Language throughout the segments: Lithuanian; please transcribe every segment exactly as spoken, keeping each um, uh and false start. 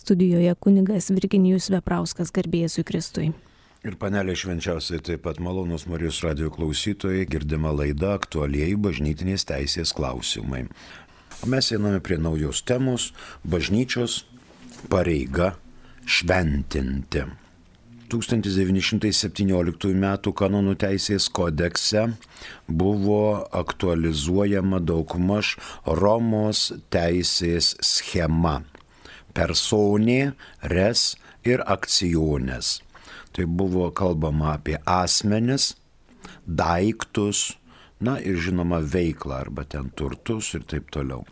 studijoje kunigas Virginijus Veprauskas, garbė Jėzui Kristui. Ir panelė švenčiausiai taip pat malonūs Marijos radijo klausytojai, girdima laida aktualieji bažnytinės teisės klausimai. O mes einame prie naujos temos - bažnyčios pareiga šventinti. tūkstantis devyni šimtai septynioliktųjų metų kanonų teisės kodekse buvo aktualizuojama daugmaž Romos teisės schema - personė, res ir akciones. Tai buvo kalbama apie asmenis, daiktus, na ir žinoma veiklą arba ten turtus ir taip toliau.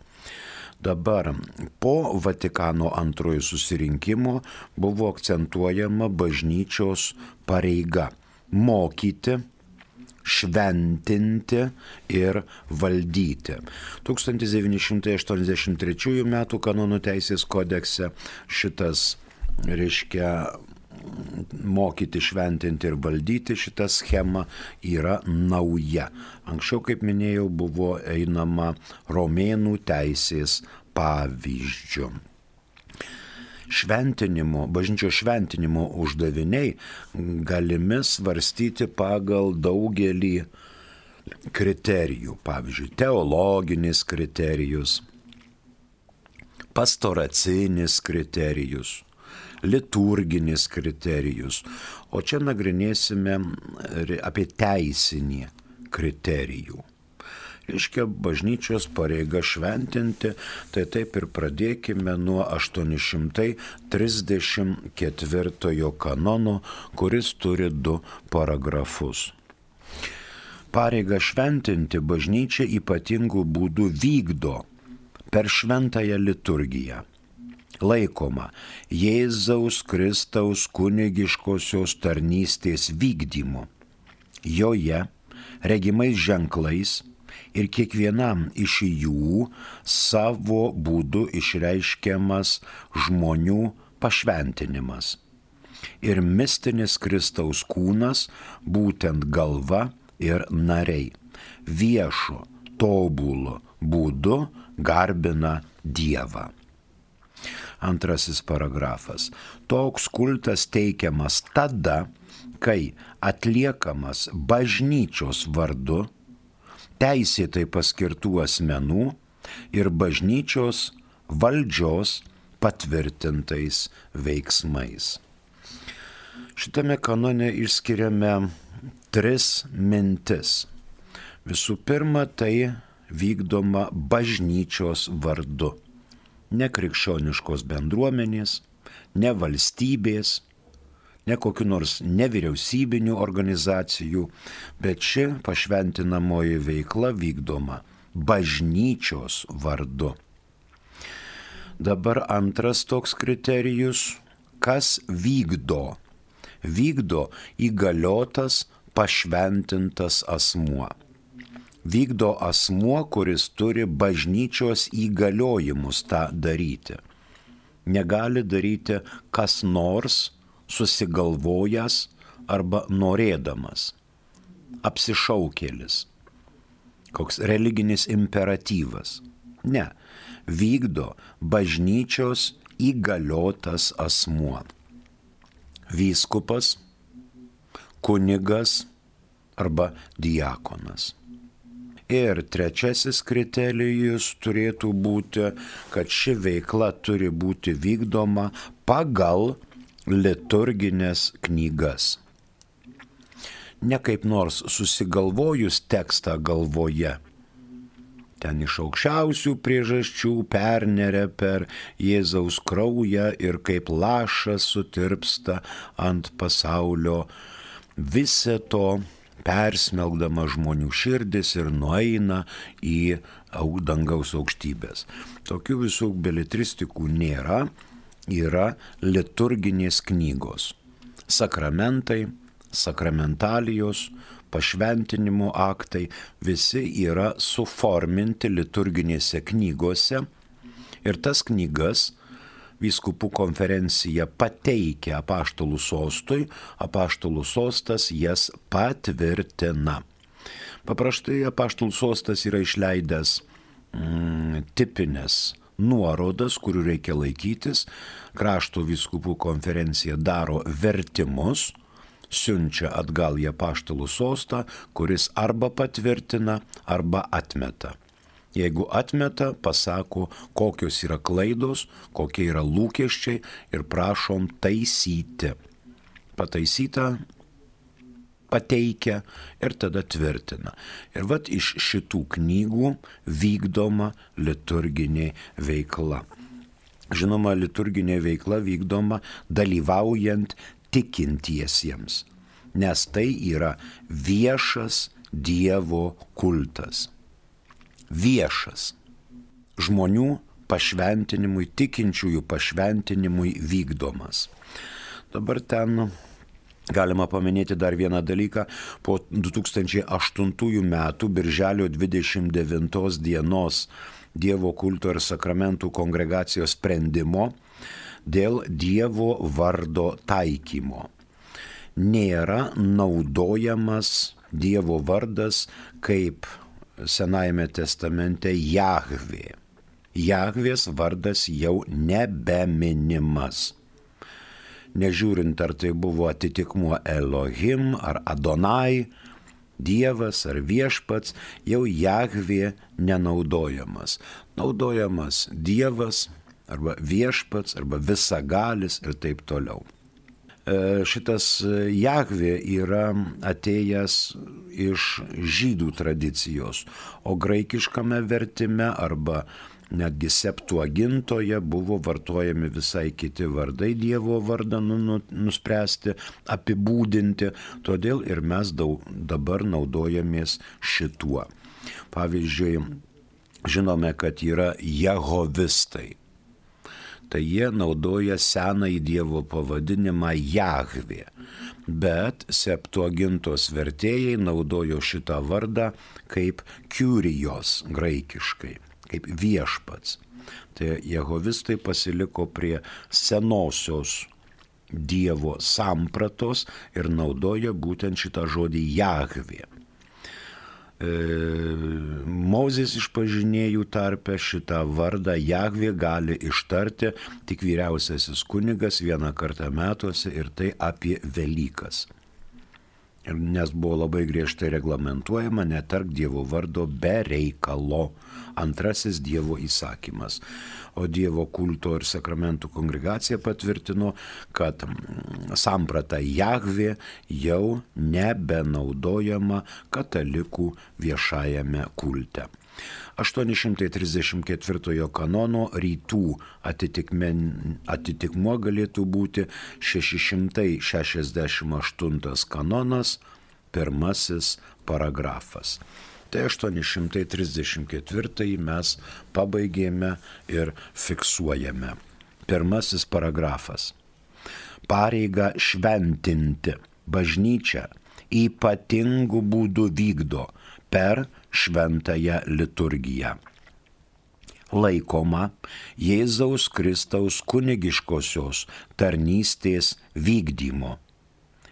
Dabar po Vatikano antrojo susirinkimo buvo akcentuojama bažnyčios pareiga - mokyti, šventinti ir valdyti. tūkstantis devyni šimtai aštuoniasdešimt trečiųjų metų kanonų teisės kodekse šitas, reiškia, mokyti, šventinti ir valdyti šitą schemą yra nauja. Anksčiau, kaip minėjau, buvo einama romėnų teisės pavyzdžių. Šventinimo, bažnyčios šventinimo uždaviniai galimi svarstyti pagal daugelį kriterijų. Pavyzdžiui, teologinis kriterijus, pastoracinis kriterijus, liturginis kriterijus, o čia nagrinėsime apie teisinį kriterijų. Reiškia, bažnyčios pareiga šventinti, tai taip ir pradėkime nuo aštuoni šimtai trisdešimt ketvirtojo kanono, kuris turi du paragrafus. Pareigą šventinti bažnyčia ypatingų būdų vykdo per šventąją liturgiją. Laikoma Jėzaus Kristaus kunigiškosios tarnystės vykdymu. Joje regimais ženklais ir kiekvienam iš jų savo būdu išreiškiamas žmonių pašventinimas. Ir mistinis Kristaus kūnas, būtent galva ir nariai, viešo, tobulo būdu garbina Dievą. Antrasis paragrafas. Toks kultas teikiamas tada, kai atliekamas bažnyčios vardu, teisėtai paskirtų asmenų ir bažnyčios valdžios patvirtintais veiksmais. Šitame kanone išskiriame tris mintis. Visų pirma, tai vykdoma bažnyčios vardu. Ne krikščioniškos bendruomenės, ne valstybės, ne kokių nors nevyriausybinių organizacijų, bet ši pašventinamoji veikla vykdoma bažnyčios vardu. Dabar antras toks kriterijus - kas vykdo? Vykdo įgaliotas pašventintas asmuo. Vykdo asmuo, kuris turi bažnyčios įgaliojimus tą daryti. Negali daryti kas nors susigalvojęs arba norėdamas. Apsišaukėlis. Koks religinis imperatyvas. Ne. Vykdo bažnyčios įgaliotas asmuo. Vyskupas, kunigas arba diakonas. Ir trečiasis kriterijus turėtų būti, kad ši veikla turi būti vykdoma pagal liturginės knygas. Ne kaip nors susigalvojus tekstą galvoje. Ten iš aukščiausių priežasčių perneria per Jėzaus kraują ir kaip lašas sutirpsta ant pasaulio visą to persmelkdama žmonių širdis ir nueina į dangaus aukštybės. Tokių visų beletristikų nėra, yra liturginės knygos. Sakramentai, sakramentalijos, pašventinimo aktai, visi yra suforminti liturginėse knygose ir tas knygas vyskupų konferencija pateikia apaštalų sostui, apaštalų sostas jas patvirtina. Paprastai apaštalų sostas yra išleidęs mm, tipinės nuorodas, kurių reikia laikytis. Krašto vyskupų konferencija daro vertimus, siunčia atgal į apaštalų sostą, kuris arba patvirtina, arba atmeta. Jeigu atmeta, pasako, kokios yra klaidos, kokie yra lūkesčiai ir prašom taisyti. Pataisyta pateikia ir tada tvirtina. Ir vat iš šitų knygų vykdoma liturginė veikla. Žinoma, liturginė veikla vykdoma dalyvaujant tikintiesiems, nes tai yra viešas Dievo kultas. Viešas žmonių pašventinimui, tikinčiųjų pašventinimui vykdomas. Dabar ten galima paminėti dar vieną dalyką. Po du tūkstančiai aštuntųjų metų birželio dvidešimt devintos dienos Dievo kulto ir sakramentų kongregacijos sprendimo dėl Dievo vardo taikymo nėra naudojamas Dievo vardas kaip Senajame testamente Jahvė. Jahvės vardas jau nebeminimas. Nežiūrint, ar tai buvo atitikmuo Elohim ar Adonai, Dievas ar viešpats, jau Jahvė nenaudojamas. Naudojamas Dievas arba viešpats arba visagalis ir taip toliau. Šitas Jahvė yra atėjęs iš žydų tradicijos, o graikiškame vertime arba netgi Septuagintoje buvo vartojami visai kiti vardai Dievo vardą nuspręsti, apibūdinti, todėl ir mes daug, dabar naudojamės šituo. Pavyzdžiui, žinome, kad yra jehovistai. Tai jie naudoja senąjį Dievo pavadinimą Jahvė, bet Septuagintos vertėjai naudojo šitą vardą kaip Kyrios graikiškai, kaip viešpats. Tai jehovistai pasiliko prie senosios Dievo sampratos ir naudoja būtent šitą žodį Jahvė. Mozės išpažinėjų tarpe šitą vardą Jahvė gali ištarti tik vyriausiasis kunigas vieną kartą metuose ir tai apie Velykas. Nes buvo labai griežtai reglamentuojama netark Dievo vardo be reikalo. Antrasis Dievo įsakymas. O Dievo kulto ir sakramentų kongregacija patvirtino, kad samprata Jahvė jau nebenaudojama katalikų viešajame kulte. aštuoni šimtai trisdešimt ketvirtojo kanono rytų atitikmuo galėtų būti šeši šimtai šešiasdešimt aštuntas kanonas, pirmasis paragrafas. Tai aštuoni šimtai trisdešimt ketvirtąjį mes pabaigėme ir fiksuojame. Pirmasis paragrafas. Pareigą šventinti bažnyčią ypatingų būdų vykdo per šventąją liturgiją. Laikoma Jėzaus Kristaus kunigiškosios tarnystės vykdymo.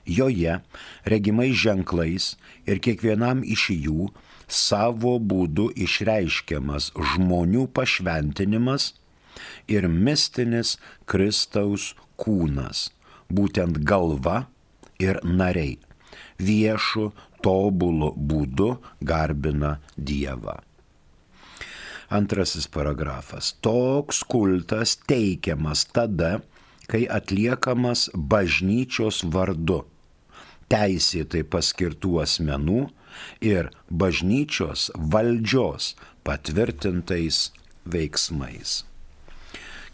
Joje regimais ženklais ir kiekvienam iš jų savo būdu išreiškiamas žmonių pašventinimas ir mistinis Kristaus kūnas, būtent galva ir nariai, viešu tobulu būdu garbina Dievą. Antrasis paragrafas. Toks kultas teikiamas tada, kai atliekamas bažnyčios vardu, teisėtai paskirtų asmenų ir bažnyčios valdžios patvirtintais veiksmais.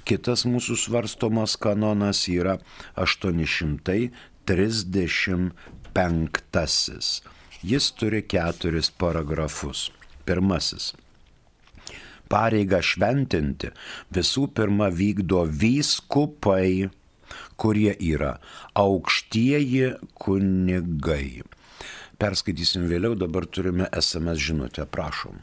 Kitas mūsų svarstomas kanonas yra aštuoni šimtai trisdešimt penktasis. Jis turi keturis paragrafus. Pirmasis. Pareigą šventinti visų pirma vykdo vyskupai, kurie yra aukštieji kunigai. Perskaitysim vėliau, dabar turime es em es žinutę, prašom.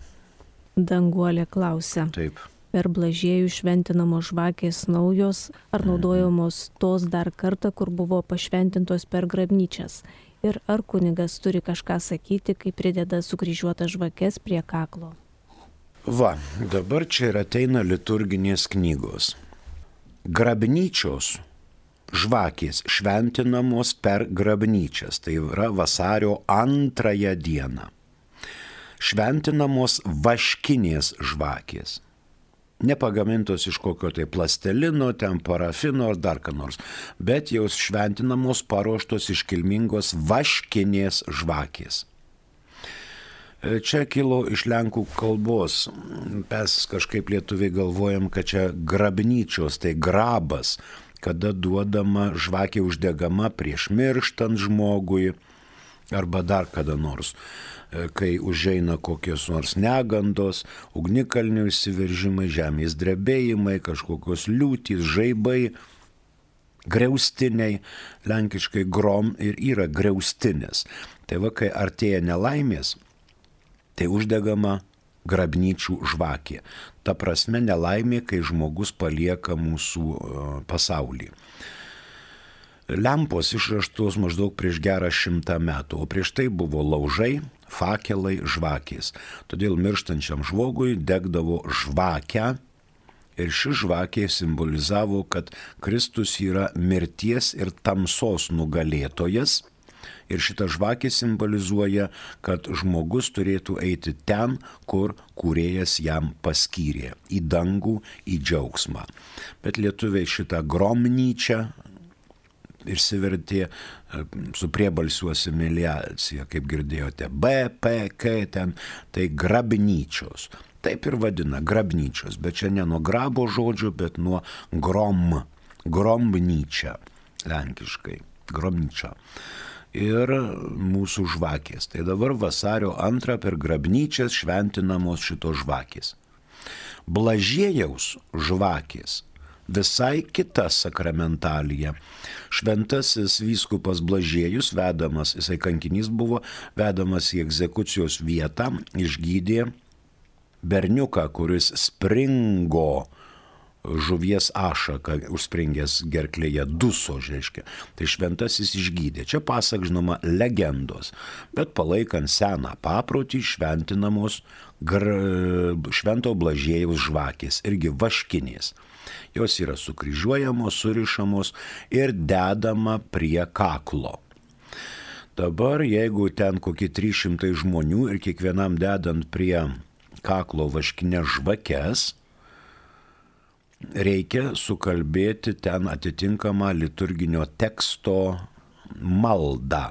Danguolė klausia. Taip. Per Blažiejų šventinamos žvakės naujos ar naudojamos tos dar kartą, kur buvo pašventintos per grabnyčias? Ir ar kunigas turi kažką sakyti, kai prideda sukryžiuotas žvakes prie kaklo? Va, dabar čia ir ateina liturginės knygos. Grabnyčios žvakės šventinamos per grabnyčias, tai yra vasario antrąją dieną. Šventinamos vaškinės žvakės. Nepagamintos iš kokio tai plastelino, ten parafino ar dar ką nors, bet jau šventinamos paruoštos iškilmingos vaškinės žvakės. Čia kilo iš lenkų kalbos, mes kažkaip lietuviai galvojam, kad čia grabnyčios, tai grabas, kada duodama žvakė uždegama prieš mirštant žmogui arba dar kada nors, kai užeina kokios nors negandos, ugnikalnių išsiveržimai, žemės drebėjimai, kažkokios liūtys, žaibai, griaustiniai, lenkiškai grom ir yra griaustinės. Tai va, kai artėja nelaimės, tai uždegama grabnyčių žvakė. Ta prasme nelaimė, kai žmogus palieka mūsų pasaulį. Lempos išraštos maždaug prieš gerą šimtą metų, o prieš tai buvo laužai, fakelai, žvakės. Todėl mirštančiam žmogui degdavo žvakę ir ši žvakė simbolizavo, kad Kristus yra mirties ir tamsos nugalėtojas. Ir šita žvakė simbolizuoja, kad žmogus turėtų eiti ten, kur kūrėjas jam paskyrė, į dangų, į džiaugsmą. Bet lietuviai šitą gromnyčią išsivertė su priebalsių asimiliacija, kaip girdėjote, B, P, K, ten, tai grabnyčios. Taip ir vadina, grabnyčios, bet čia ne nuo grabo žodžio, bet nuo grom, gromnyčia, lenkiškai, gromnyčia. Ir mūsų žvakės. Tai dabar vasario antrą per grabnyčias šventinamos šitos žvakės. Blažiejaus žvakės visai kita sakramentalija. Šventasis vyskupas Blažiejus, vedamas, jisai kankinys buvo, vedamas į egzekucijos vietą, išgydė berniuką, kuris springo žuvies ašaką, užspringęs gerklėje, duso, reiškia. Tai šventasis išgydė. Čia pasak, žinoma, legendos, bet palaikant seną paprotį šventinamos gr... švento Blažiejaus žvakės, irgi vaškinės. Jos yra sukryžiuojamos, surišamos ir dedama prie kaklo. Dabar, jeigu ten kokie trys šimtai žmonių ir kiekvienam dedant prie kaklo vaškinės žvakes, reikia sukalbėti ten atitinkamą liturginio teksto maldą.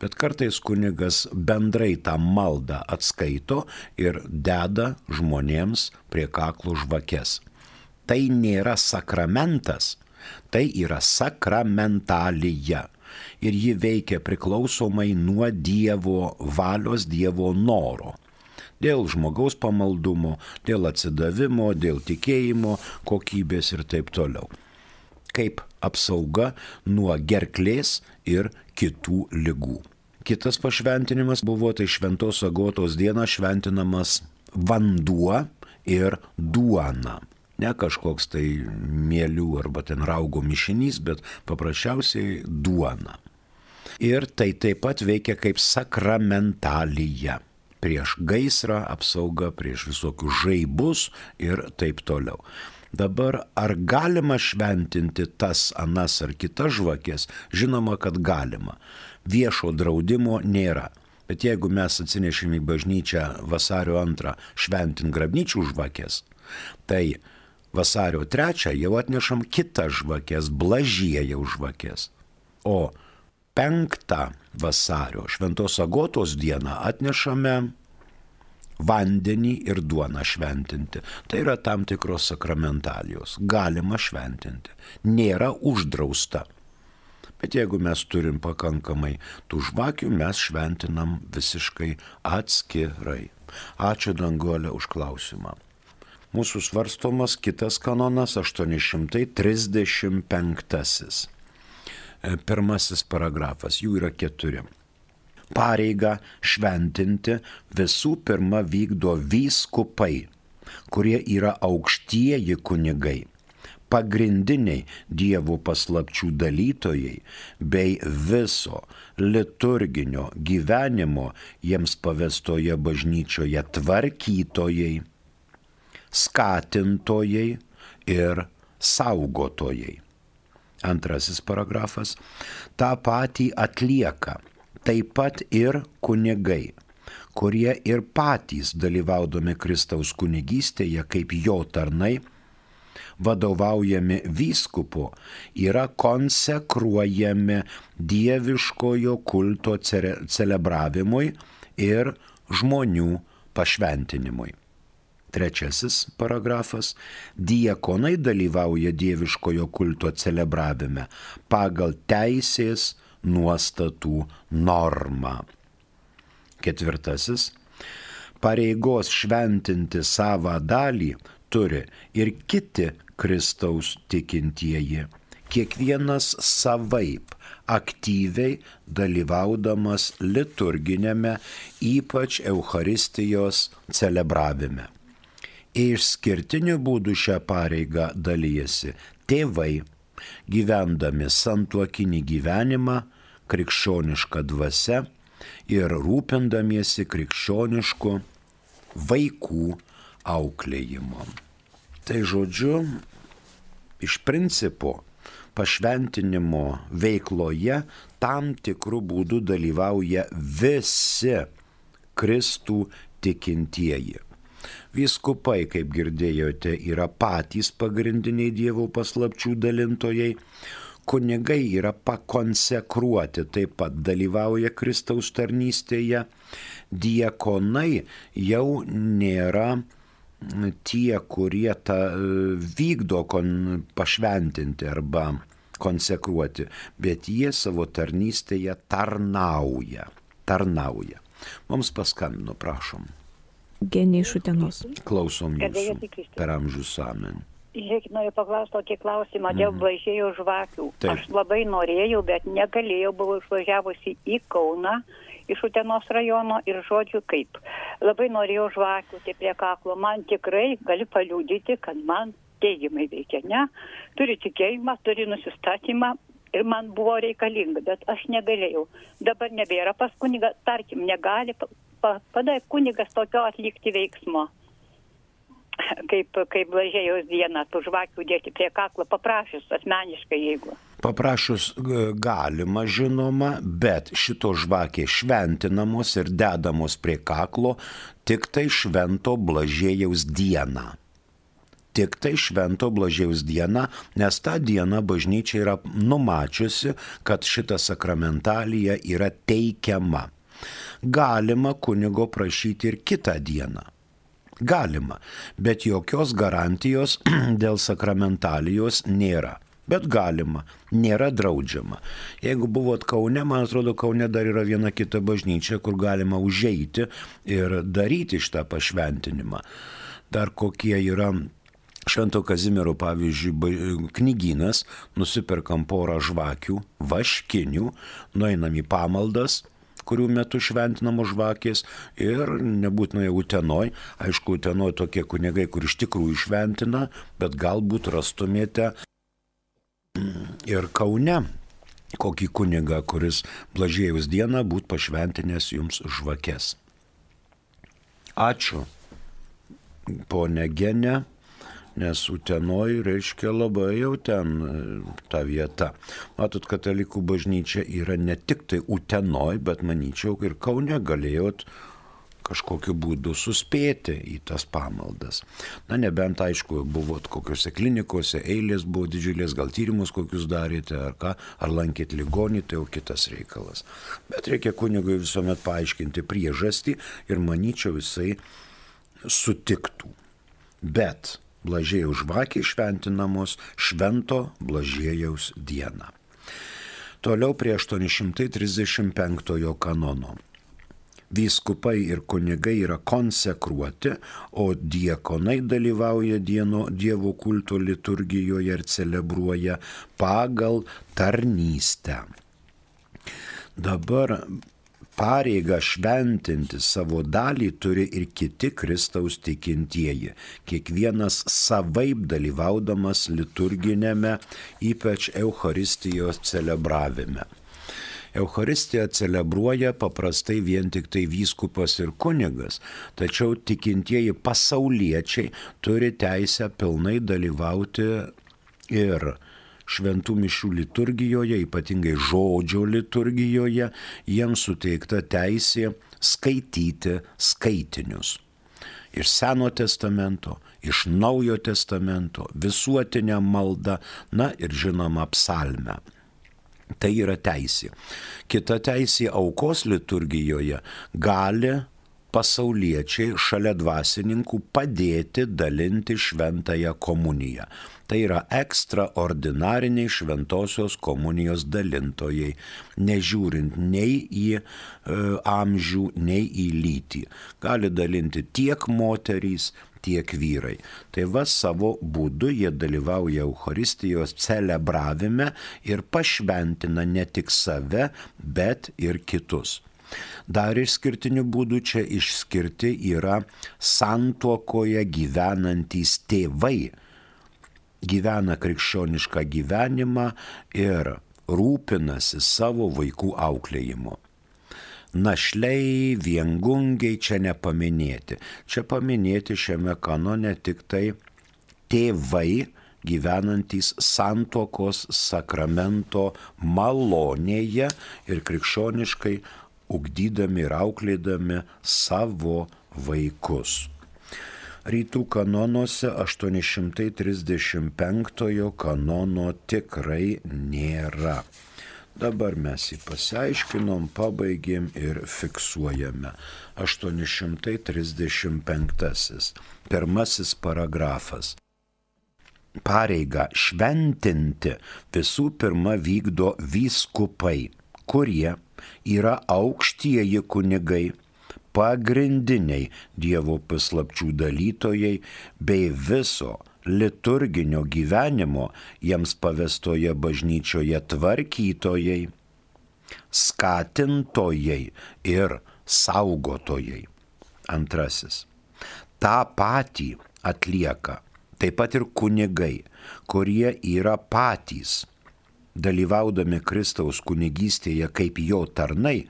Bet kartais kunigas bendrai tą maldą atskaito ir deda žmonėms prie kaklo žvakes. Tai nėra sakramentas, tai yra sakramentalija. Ir ji veikia priklausomai nuo Dievo valios, Dievo noro. Dėl žmogaus pamaldumo, dėl atsidavimo, dėl tikėjimo, kokybės ir taip toliau. Kaip apsauga nuo gerklės ir kitų ligų. Kitas pašventinimas buvo, tai Šventos Agotos dieną šventinamas vanduo ir duona. Ne kažkoks tai mielių arba ten raugo mišinys, bet paprasčiausiai duona. Ir tai taip pat veikia kaip sakramentalija. Prieš gaisrą apsauga, prieš visokius žaibus ir taip toliau. Dabar ar galima šventinti tas, anas ar kitas žvakės? Žinoma, kad galima. Viešo draudimo nėra. Bet jeigu mes atsinešime į bažnyčią vasario antrą šventin grabnyčių žvakės, tai vasario trečią jau atnešam kitas žvakės, Blažiejaus žvakės. O penktą vasario, Šventos Agotos dieną, atnešame vandenį ir duoną šventinti. Tai yra tam tikros sakramentalijos. Galima šventinti. Nėra uždrausta. Bet jeigu mes turim pakankamai tų žvakių, mes šventinam visiškai atskirai. Ačiū Danguolė už klausimą. Mūsų svarstomas kitas kanonas aštuoni šimtai trisdešimt penktasis. Pirmasis paragrafas, jų yra keturi. Pareigą šventinti visų pirma vykdo vyskupai, kurie yra aukštieji kunigai, pagrindiniai Dievo paslapčių dalytojai bei viso liturginio gyvenimo jiems pavestoje bažnyčioje tvarkytojai, skatintojai ir saugotojai. Antrasis paragrafas. Ta patį atlieka taip pat ir kunigai, kurie ir patys dalyvaudami Kristaus kunigystėje kaip jo tarnai, vadovaujami vyskupo, yra konsekruojami dieviškojo kulto celebravimui ir žmonių pašventinimui. Trečiasis paragrafas. Diakonai dalyvauja dieviškojo kulto celebravime pagal teisės nuostatų normą. Ketvirtasis. Pareigos šventinti savą dalį turi ir kiti Kristaus tikintieji, kiekvienas savaip aktyviai dalyvaudamas liturginėme, ypač Eucharistijos celebravime. Išskirtiniu būdu šią pareigą dalyjasi tėvai, gyvendami santuokinį gyvenimą krikščionišką dvasia ir rūpindamiesi krikščionišku vaikų auklėjimu. Tai žodžiu, iš principo pašventinimo veikloje tam tikrų būdų dalyvauja visi Kristų tikintieji. Vyskupai, kaip girdėjote, yra patys pagrindiniai Dievo paslapčių dalintojai. Kunigai yra pakonsekruoti, taip pat dalyvauja Kristaus tarnystėje. Diakonai jau nėra tie, kurie tą vykdo kon, pašventinti arba konsekruoti, bet jie savo tarnystėje tarnauja. tarnauja. Mums paskambino, prašom. Genė iš Utenos. Klausom jūsų per amžius amen. Žiūrėkit, noriu paklausti tokį klausimą dėl blažėjo žvakių. Taip. Aš labai norėjau, bet negalėjau, buvau išvažiavusi į Kauną iš Utenos rajono ir žodžiu kaip. Labai norėjau žvakių, tai prie kaklo. Man tikrai galiu paliudyti, kad man teigiamai veikia, ne? Turi tikėjimą, turi nusistatymą ir man buvo reikalinga, bet aš negalėjau. Dabar nebėra pas kunigą, tarkim, negali padai kunigas tokio atlikti veiksmo, kaip, kaip blažėjaus dieną, tų žvakių dėti prie kaklo, paprašus asmeniškai, jeigu. Paprašus galima, žinoma, bet šito žvakė šventinamos ir dedamos prie kaklo tik tai švento blažėjaus dieną. Tik tai švento blažėjaus dieną, nes tą dieną bažnyčia yra numačiusi, kad šita sakramentalija yra teikiama. Galima kunigo prašyti ir kitą dieną. Galima, bet jokios garantijos dėl sakramentalijos nėra. Bet galima, nėra draudžiama. Jeigu buvot Kaune, man atrodo, Kaune dar yra viena kita bažnyčia, kur galima užeiti ir daryti šitą pašventinimą. Dar kokie yra Švento Kazimiero, pavyzdžiui, knygynas, nusiperkam porą žvakių, vaškinių, nueinam į pamaldas, kurių metu šventinamos žvakės ir nebūtinai Utenoj. Aišku, Utenoj tokie kunigai, kur iš tikrųjų šventina, bet galbūt rastumėte ir Kaune kokį kunigą, kuris blažėjaus dieną būt pašventinęs jums žvakes. Ačiū, ponė Genė. Nes Utenoj reiškia labai jau ten ta vieta. Matot, katalikų bažnyčia yra ne tik tai Utenoj, bet manyčiau ir Kaune galėjot kažkokiu būdu suspėti į tas pamaldas. Na, nebent, aišku, buvot kokiuose klinikose, eilės buvo didžiulės, gal tyrimus kokius darėte, ar ką, ar lankėt ligonį, tai jau kitas reikalas. Bet reikia kunigui visuomet paaiškinti priežastį ir manyčiau jisai sutiktų. Bet blažėjaus žvakė šventinamos švento blažėjaus dieną. Toliau prie aštuoni šimtai trisdešimt penktojo kanono. Vyskupai ir kunigai yra konsekruoti, o diakonai dalyvauja dieno, Dievo kulto liturgijoje ir celebruoja pagal tarnystę. Dabar pareigą šventinti savo dalį turi ir kiti Kristaus tikintieji, kiekvienas savaip dalyvaudamas liturginėme, ypač Eucharistijos celebravime. Eucharistiją celebruoja paprastai vien tik tai vyskupas ir kunigas, tačiau tikintieji pasauliečiai turi teisę pilnai dalyvauti ir šventų mišių liturgijoje, ypatingai žodžio liturgijoje, jiems suteikta teisė skaityti skaitinius. Iš Seno testamento, iš Naujo testamento, visuotinę maldą, na ir žinoma psalmę. Tai yra teisė. Kita teisė aukos liturgijoje gali pasauliečiai šalia dvasininkų padėti dalinti šventąją komuniją. Tai yra ekstraordinariniai šventosios komunijos dalintojai, nežiūrint nei į e, amžių, nei į lytį. Gali dalinti tiek moterys, tiek vyrai. Tai va savo būdu jie dalyvauja Eucharistijos celebravime ir pašventina ne tik save, bet ir kitus. Dar išskirtinių būdų čia išskirti yra santuokoje gyvenantys tėvai. Gyvena krikščionišką gyvenimą ir rūpinasi savo vaikų auklėjimu. Našliai, viengungiai čia nepaminėti. Čia paminėti šiame kanone tik tai tėvai gyvenantys santuokos sakramento malonėje ir krikščioniškai ugdydami ir auklėdami savo vaikus. Rytų kanonuose aštuoni šimtai trisdešimt penktojo kanono tikrai nėra. Dabar mes jį pasiaiškinom, pabaigėm ir fiksuojame. aštuoni šimtai trisdešimt penktasis. Pirmasis paragrafas. Pareigą šventinti visų pirma vykdo vyskupai, kurie yra aukštieji kunigai, pagrindiniai Dievo paslapčių dalytojai bei viso liturginio gyvenimo jiems pavestoje bažnyčioje tvarkytojai, skatintojai ir saugotojai. Antrasis. Ta patį atlieka taip pat ir kunigai, kurie yra patys dalyvaudami Kristaus kunigystėje kaip jo tarnai,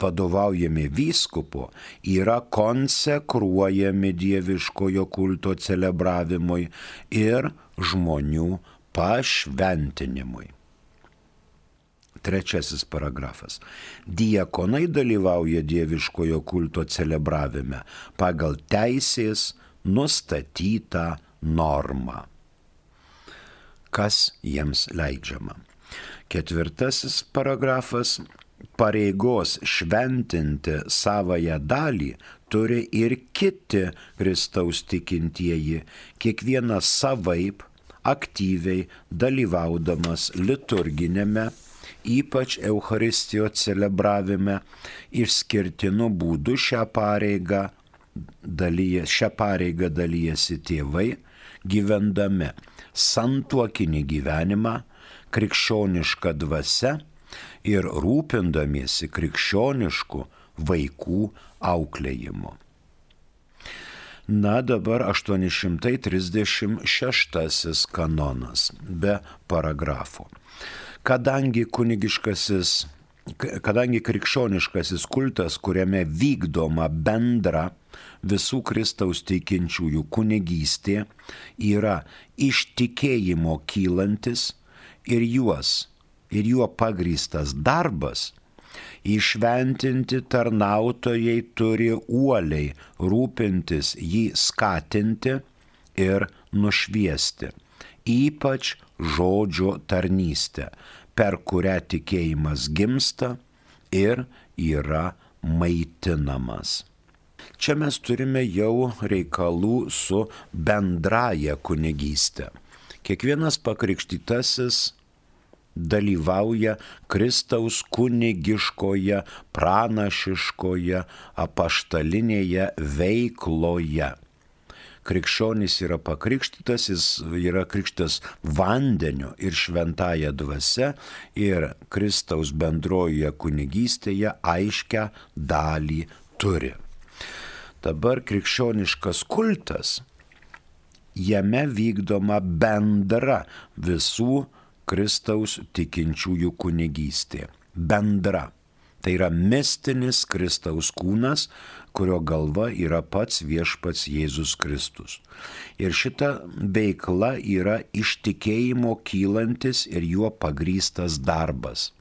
vadovaujami vyskupo, yra konsekruojami dieviškojo kulto celebravimui ir žmonių pašventinimui. Trečiasis paragrafas. Diakonai dalyvauja dieviškojo kulto celebravime pagal teisės nustatytą normą. Kas jiems leidžiama? Ketvirtasis paragrafas. Pareigos šventinti savąją dalį turi ir kiti Kristaus tikintieji, kiekvienas savaip aktyviai dalyvaudamas liturginėme, ypač Eucharistijos celebravime, išskirtinu būdu šią pareigą dalyje, šią pareigą dalyjasi tėvai, gyvendami santuokinį gyvenimą, krikščionišką dvasią ir rūpindamiesi krikščionišku vaikų auklėjimu. Na, dabar aštuoni šimtai trisdešimt šeštasis kanonas be paragrafų. Kadangi kunigiškasis, kadangi krikščioniškasis kultas, kuriame vykdoma bendra visų Kristaus tikinčiųjų kunigystė, yra iš tikėjimo kylantis ir juos ir juo pagrįstas darbas, įšventinti tarnautojai turi uoliai rūpintis jį skatinti ir nušviesti, ypač žodžio tarnystę, per kurią tikėjimas gimsta ir yra maitinamas. Čia mes turime jau reikalų su bendraja kunigystė. Kiekvienas pakrikštytasis dalyvauja Kristaus kunigiškoje, pranašiškoje, apaštalinėje veikloje. Krikščionis yra pakrikštytas, jis yra krikštas vandeniu ir šventąja dvasia ir Kristaus bendrojoje kunigystėje aiškę dalį turi. Dabar krikščioniškas kultas, jame vykdoma bendra visų Kristaus tikinčiųjų kunigystė. bendra. Tai yra mistinis Kristaus kūnas, kurio galva yra pats viešpats Jėzus Kristus. Ir šita veikla yra iš tikėjimo kylantis ir juo pagrįstas darbas.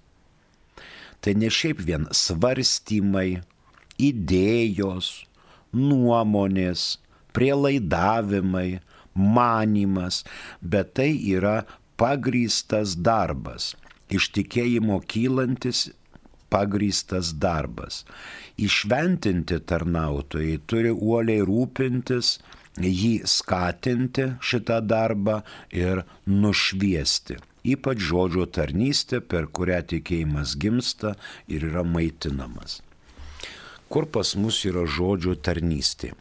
Tai ne šiaip vien svarstymai, idėjos, nuomonės, prielaidavimai, manymas, bet tai yra pagrįstas darbas, iš tikėjimo kylantis pagrįstas darbas. Įšventinti tarnautojai turi uoliai rūpintis, jį skatinti šitą darbą ir nušviesti. Ypač žodžio tarnystė, per kurią tikėjimas gimsta ir yra maitinamas. Kur pas mus yra žodžio tarnystė?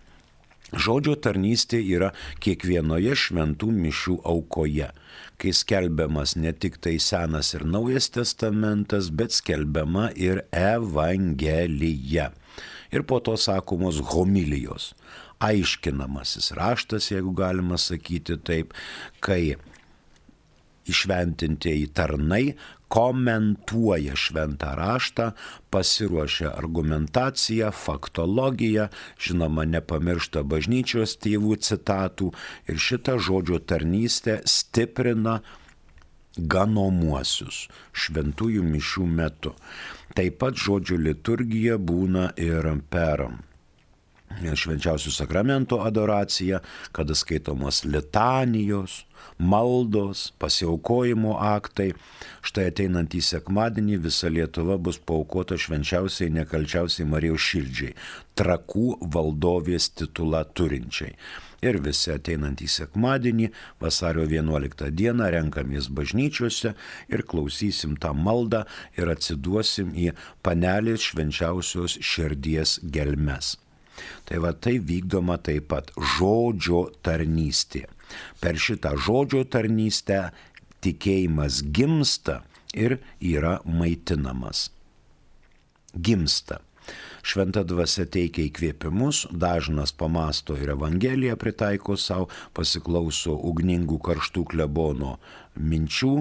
Žodžio tarnystė yra kiekvienoje šventų mišių aukoje, kai skelbiamas ne tik tai Senas ir Naujas testamentas, bet skelbiama ir Evangelija. Ir po to sakomos homilijos, aiškinamasis raštas, jeigu galima sakyti taip, kai įšventintieji tarnai komentuoja šventą raštą, pasiruošia argumentaciją, faktologiją, žinoma, nepamiršta bažnyčios tėvų citatų ir šitą žodžio tarnystę stiprina ganomuosius šventųjų mišių metu. Taip pat žodžio liturgija būna ir per švenčiausių sakramento adoraciją, kada skaitomos litanijos, maldos, pasiaukojimo aktai. Štai ateinantį sekmadienį visa Lietuva bus paaukota švenčiausiai nekalčiausiai Marijos širdžiai, Trakų valdovės titulą turinčiai. Ir visi ateinantį sekmadienį, vasario vienuoliktą dieną, renkamės bažnyčiose ir klausysim tą maldą ir atsiduosim į Panelės švenčiausios širdies gelmes. Tai va tai vykdoma taip pat žodžio tarnystė. Per šitą žodžio tarnystę tikėjimas gimsta ir yra maitinamas. Gimsta. Šventa dvasia teikia įkvėpimus, dažnas pamasto ir Evangeliją pritaiko savo, pasiklauso ugningų karštų klebono minčių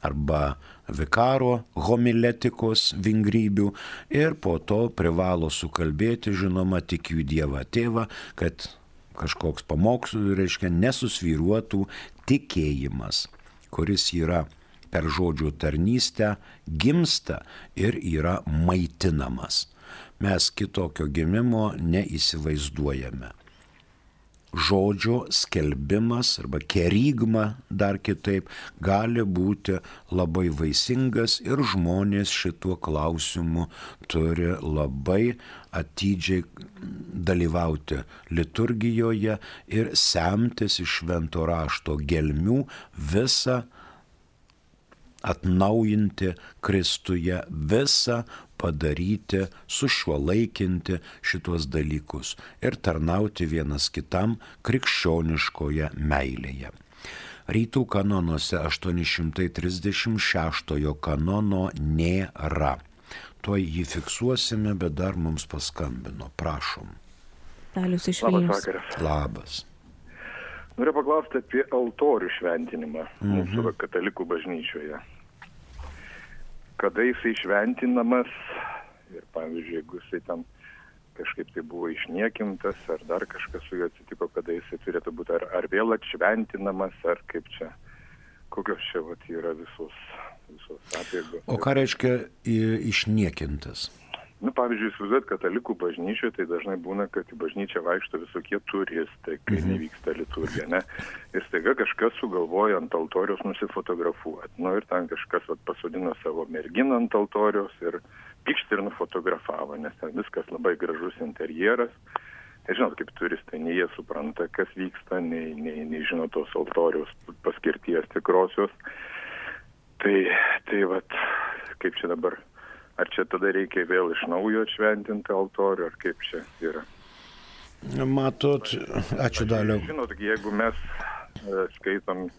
arba vikaro homiletikos vingrybių ir po to privalo sukalbėti, žinoma, tikiu Dievą Tėvą, kad kažkoks pamokslas, reiškia, nesusvyruotų tikėjimas, kuris yra per žodžio tarnystę gimsta ir yra maitinamas. Mes kitokio gimimo neįsivaizduojame. Žodžio skelbimas arba kerygma dar kitaip gali būti labai vaisingas ir žmonės šituo klausimu turi labai atidžiai dalyvauti liturgijoje ir semtis iš švento rašto gelmių visą atnaujinti Kristuje, visą padaryti, sušiuolaikinti šitos dalykus ir tarnauti vienas kitam krikščioniškoje meilėje. Rytų kanonuose aštuoni šimtai trisdešimt šeštojo kanono nėra. Tuoj jį fiksuosime, bet dar mums paskambino. Prašom. Dalius iš Vilnius. Labas vakaras. Labas. Noriu paklausti apie altorių šventinimą Mhm. mūsų katalikų bažnyčioje. Kada jisai šventinamas ir, pavyzdžiui, jeigu jisai ten kažkaip tai buvo išniekintas, ar dar kažkas su juo atsitiko, kada jisai turėtų būti, ar, ar vėl atšventinamas, ar kaip čia, kokios čia vat, yra visos, visos apeigos. O ką reiškia i- išniekintas? Nu, pavyzdžiui, įsivaizduot, katalikų bažnyčioje tai dažnai būna, kad į bažnyčią vaikšto visokie turistai, kai Mhm. nevyksta liturgija, ne? Ir staiga kažkas sugalvoja ant altoriaus nusifotografuoti. Nu, ir ten kažkas vat, pasodino savo merginą ant altoriaus ir pykšt ir nufotografavo, nes ten viskas labai gražus interjeras. Tai žinot, kaip turistai, nei jie supranta, kas vyksta, nei, nei, nei žino tos altoriaus paskirties tikrosios. Tai, tai vat, kaip čia dabar... Ar čia tada reikia vėl iš naujo atšventinti altorių, ar kaip čia yra? Matot, ačiū Daliau. Žinot, jeigu mes e, skaitom e,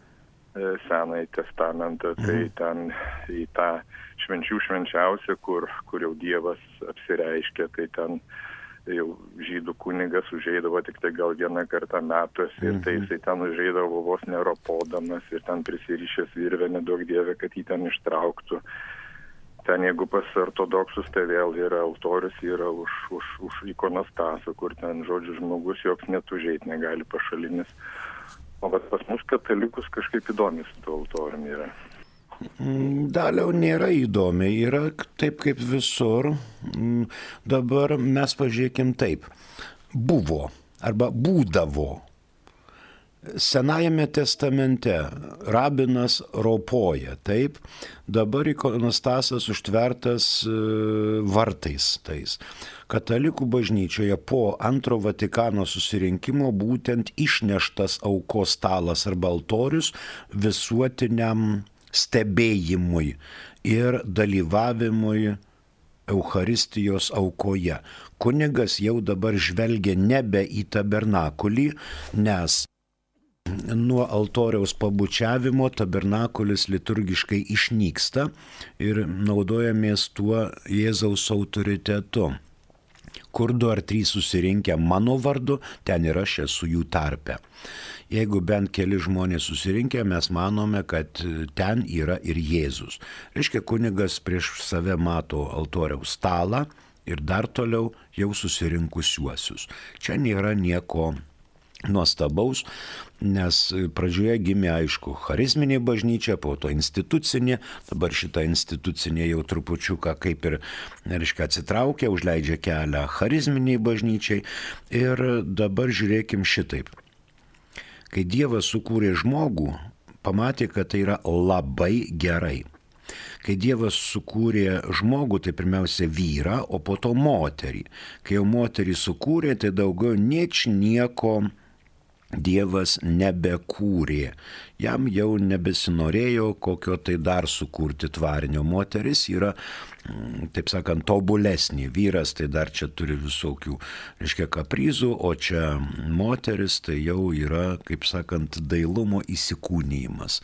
Senąjį testamentą, tai ten į tą švenčių švenčiausią, kur, kur jau Dievas apsireiškia, tai ten jau žydų kunigas užeidavo tik tai gal vieną kartą metuose ir tai jisai ten užeidavo vos neropodamas ir ten prisirišęs virvę, nedaug Dieve, kad jį ten ištrauktų. Ten jeigu pas ortodoksus, tai vėl yra altorius, yra už, už, už ikonostasą, kur ten, žodžiu, žmogus joks net užeit negali pašalinis. O bet pas mus katalikus kažkaip įdomi su tuo altoriumi yra. Daliau nėra įdomi, yra taip kaip visur. Dabar mes pažiūrėkim taip. Buvo arba būdavo. Senajame testamente rabinas ropoja, taip, dabar ikonostasas užtvertas vartais tais. Katalikų bažnyčioje po antro Vatikano susirinkimo būtent išneštas aukos stalas arba altorius visuotiniam stebėjimui ir dalyvavimui Eucharistijos aukoje. Kunigas jau dabar žvelgia nebe į tabernakulį, nes nuo altoriaus pabučiavimo tabernakulis liturgiškai išnyksta ir naudojamės tuo Jėzaus autoritetu. Kur du ar trys susirinkę mano vardu, ten ir aš esu jų tarpe. Jeigu bent keli žmonės susirinkę, mes manome, kad ten yra ir Jėzus. Reiškia, kunigas prieš save mato altoriaus stalą ir dar toliau jau susirinkusiuosius. Čia nėra nieko nuostabaus, nes pradžioje gimė, aišku, charizminė bažnyčia, po to institucinė, dabar šita institucinė jau trupučiuką kaip ir, reiškia, atsitraukia, užleidžia kelią charizminiai bažnyčiai ir dabar žiūrėkim šitaip. Kai Dievas sukūrė žmogų, pamatė, kad tai yra labai gerai. Kai Dievas sukūrė žmogų, tai pirmiausia vyrą, o po to moterį. Kai jau moterį sukūrė, tai daugiau nieč nieko Dievas nebekūrė. Jam jau nebesinorėjo kokio tai dar sukurti tvarinio. Moteris yra, taip sakant, tobulesnė. Vyras tai dar čia turi visokių, reiškia, kaprizų, o čia moteris tai jau yra, kaip sakant, dailumo įsikūnijimas.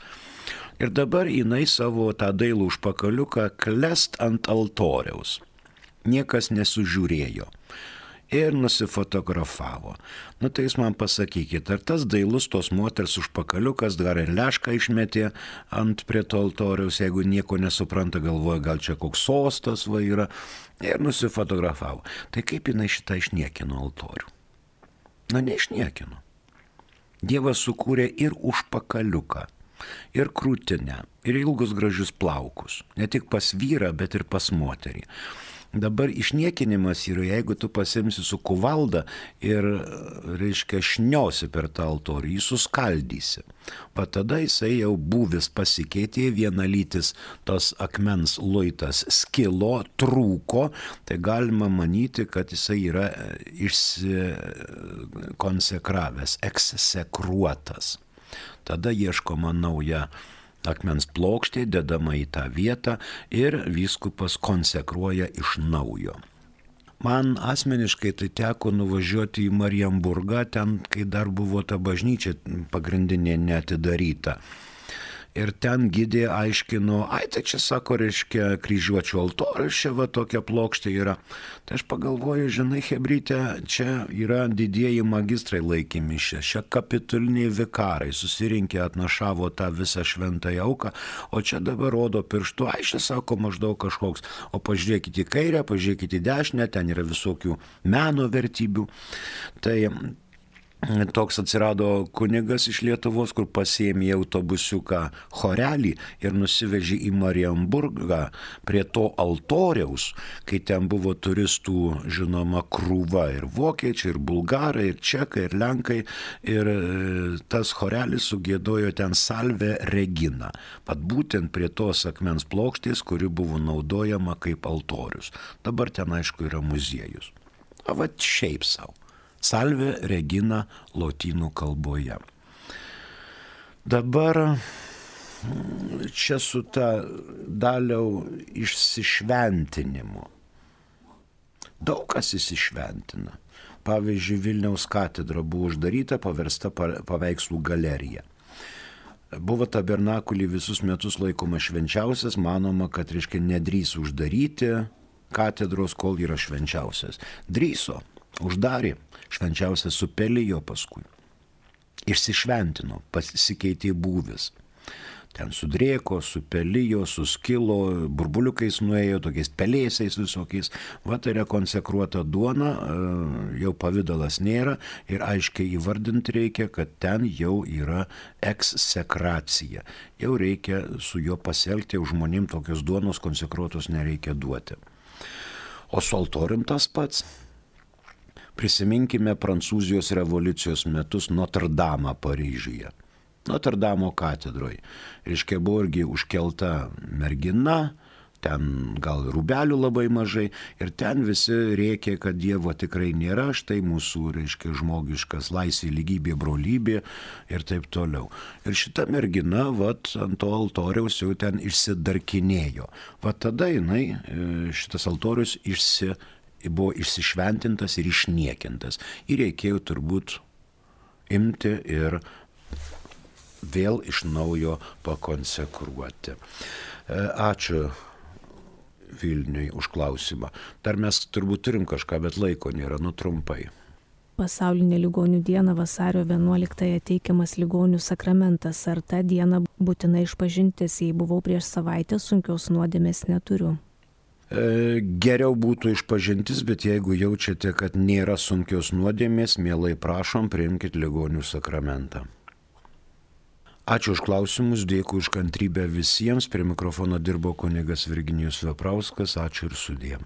Ir dabar jinai savo tą dailų užpakaliuką klest ant altoriaus. Niekas nesužiūrėjo. Ir nusifotografavo. Nu tai jūs man pasakykit, ar tas dailus tos moters užpakaliukas dar ir lešką išmetė ant prie to altoriaus, jeigu nieko nesupranta, galvoja, gal čia koks sostas va yra, ir nusifotografavo. Tai kaip jinai šitą išniekino altorių? Na, neišniekino. Dievas sukūrė ir užpakaliuką, ir krūtinę, ir ilgus gražius plaukus. Ne tik pas vyrą, bet ir pas moterį. Dabar išniekinimas yra, jeigu tu pasimsi su kuvalda ir, reiškia, šniosi per tą altorių, jį suskaldysi. Va tada jisai jau būvis pasikeitė, vienalytis tos akmens luitas skilo, trūko, tai galima manyti, kad jisai yra išsikonsekravęs, eksekruotas. Tada ieškoma nauja akmens plokštė, dedama į tą vietą ir vyskupas konsekruoja iš naujo. Man asmeniškai tai teko nuvažiuoti į Marienburgą, ten, kai dar buvo ta bažnyčia pagrindinė neatidaryta. Ir ten gidė aiškino, ai tai čia sako, reiškia, kryžiuočių altorius, čia va tokia plokštė yra. Tai aš pagalvoju, žinai, hebrytė, čia yra didieji magistrai laikymi čia, čia kapituliniai vikarai, susirinkę atnašavo tą visą šventąją auką, o čia dabar rodo pirštu, ai čia sako maždaug kažkoks, o pažiūrėkite į kairę, pažiūrėkite į dešinę, ten yra visokių meno vertybių. Tai toks atsirado kunigas iš Lietuvos, kur pasiėmė autobusiuką chorelį ir nusivežė į Marienburgą prie to altoriaus, kai ten buvo turistų, žinoma, krūva ir vokiečiai, ir bulgarai, ir čekai, ir lenkai, ir tas chorelis sugiedojo ten Salve Regina, pat būtent prie tos akmens plokštės, kuri buvo naudojama kaip altorius. Dabar ten, aišku, yra muziejus. O va šiaip savo. Salve Regina lotynų kalboje. Dabar čia su ta Daliau išsišventinimu. Daug kas įsišventina. Pavyzdžiui, Vilniaus katedra buvo uždaryta, paversta paveikslų galerija. Buvo tabernakulį visus metus laikoma švenčiausias, manoma, kad, reiškia, nedrys uždaryti katedros, kol yra švenčiausias. Drįso, uždarė. Švenčiausias supelijo paskui. Išsišventino, pasikeitė būvis. ten sudrėko, supelijo, suskilo, burbuliukais nuėjo, tokiais pelėsiais visokiais. Va tai yra konsekruota duona, jau pavidalas nėra ir aiškiai įvardinti reikia, kad ten jau yra eksekracija. Jau reikia su juo pasielgti, jau žmonėm tokios duonos konsekruotos nereikia duoti. O su altorium tas pats. Prisiminkime Prancūzijos revoliucijos metus Notre Dame Paryžiuje. Notre Dame katedroje. Reiškia, buvo irgi užkelta mergina, ten gal rūbelių labai mažai ir ten visi rėkė, kad Dievo tikrai nėra, štai mūsų, reiškia, žmogiškas laisvė, lygybė, brolybė ir taip toliau. Ir šita mergina, vat, ant to altoriaus jau ten išsidarkinėjo. Vat tada jinai, šitas altorius išsi, buvo išsišventintas ir išniekintas. Ir reikėjo turbūt imti ir vėl iš naujo pakonsekruoti. Ačiū Vilniui už klausimą. Dar mes turbūt turim kažką, bet laiko nėra, nu trumpai. Pasaulinė ligonių diena vasario vienuoliktąją teikiamas ligonių sakramentas. Ar tą dieną būtina išpažintis, jei buvau prieš savaitę, sunkios nuodėmės neturiu? E, geriau būtų išpažintis, bet jeigu jaučiate, kad nėra sunkios nuodėmės, mielai prašom, priimkit ligonių sakramentą. Ačiū už klausimus, dėkui už kantrybę visiems. Prie mikrofono dirbo kunigas Virginijus Veprauskas. Ačiū ir sudie.